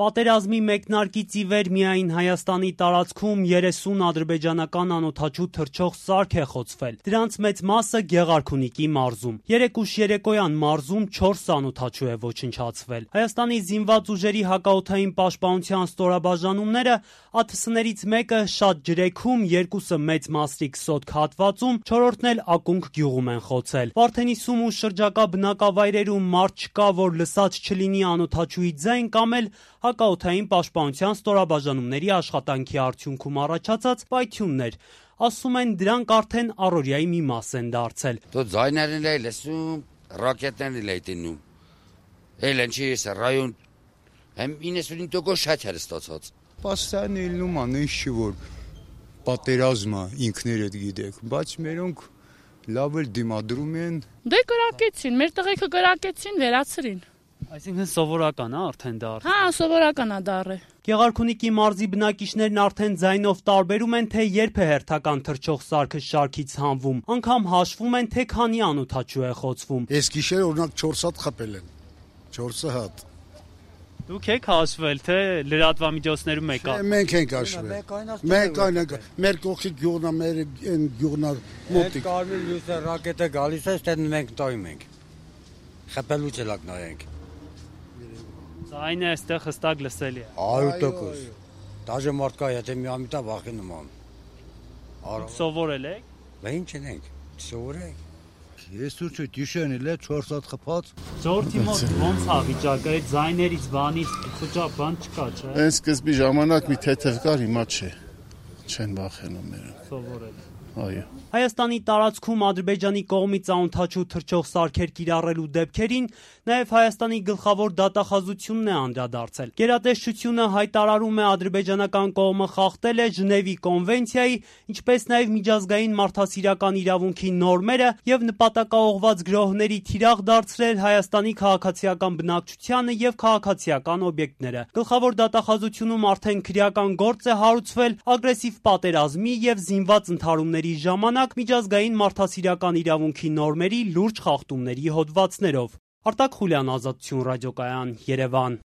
Պատերազմի մեկնարկից ի վեր միայն Հայաստանի տարածքում 30 ադրբեջանական անօդաչու թռչող սարք է խոցվել։ Դրանց մեծ մասը Գեղարքունիքի մարզում։ Երեկ ուշ երեկոյան մարզում 4 անօդաչու է ոչնչացվել։ Հայաստանի զինված ուժերի հակաօդային պաշտպանության ստորաբաժանումները ԱԹՍ-ներից մեկը Շատ ջրեքում, երկուսը Մեծ Մասրիկ Սոտք հատվածում, 4-րդն էլ Ակունք գյուղում են խոցել։ Վարդենիսում ու շրջակա բնակավայրերում մարդ չկա, որ լսած չլինի անօդաչուի ձայն կամ էլ հակաօդային պաշտպանության ստորաբաժանումների աշխատանքի արդյունքում առաջացած պայթյուններ։ Ասում են, դրանք արդեն առօրյայի մի մաս են դարձել։ Դու ձայներն էլ լսում, ռակետներն էլ դինում։ Էլ ինչի է ռայոն hem 95% շատ է ստացած։ Պաստան ելնում անիշ որ պատերազմը ինքներդ գիտեք, բայց մերոնք լավ էլ դիմադրում են։ Դե կրակեցին, մեր տղեկը կրակեցին, վերացրին։ Այսինքն սովորական է արդեն դառ։ Հա, սովորական է դառը։ Գեղարքունիքի մարզի բնակիչներն արդեն ձայնով տարբերում են, թե երբ է հերթական թռչող սարքը շարքից հանվում, անգամ հաշվում են, թե քանի անօդաչու է խոցվում։ Այս գիշեր օրինակ 4 հատ խփել են։ 4 հատ։ Դուք եք հաշվել, թե լրատվամիջոցներում եք։ Մենք ենք հաշվել։ Մենք այնք մեր կողքի գյուղն է, մեր այն գյուղն է մոտիկ։ Կարմիր լույսը ռակետը գալիս է, ստեն մենք տոյում ենք։ Խփելու չլակ նայենք։ Այն է այստեղ հստակ լսելի է։ 100%։ Դաժե մարդկա եթե մի ամիտա վախենում ան։ Սովորել եք։ Բա ինչ ենք, սովորենք։ Ես ու չիշեն էլ 4 հատ խփած։ Ժողովրդի մոտ ոնց է վիճակը, այդ ձայներից բանից խոճապ բան չկա, չէ՞։ Այն սկզբի ժամանակ մի թեթև կար, հիմա չէ։ Չեն վախենում նրանք։ Սովորել։ Այո։ Հայաստանի տարածքում Ադրբեջանի կողմից անօդաչու թռչող սարքեր կիրառելու դեպքերին նաև Հայաստանի գլխավոր դատախազությունն է անդրադարձել։ Գերատեսչությունը հայտարարում է ադրբեջանական կողմը խախտել է Ժնևի կոնվենցիայի, ինչպես նաև միջազգային մարդասիրական իրավունքի նորմերը եւ նպատակաուղղված գրոհների թիրախ դարձրել Հայաստանի քաղաքացիական բնակչությանը եւ քաղաքացիական օբյեկտները։ Գլխավոր դատախազությունում արդեն քրեական գործ է հարուցվել ագրեսիվ պատերազմի եւ զինված ընդհարումների ժամանակ միջազգային մարդասիրական իրավունքի նորմերի լուրջ խախտումների հոդվածներով։ Արտակ Խուլյան, Ազատություն ռադիոկայան, Երևան։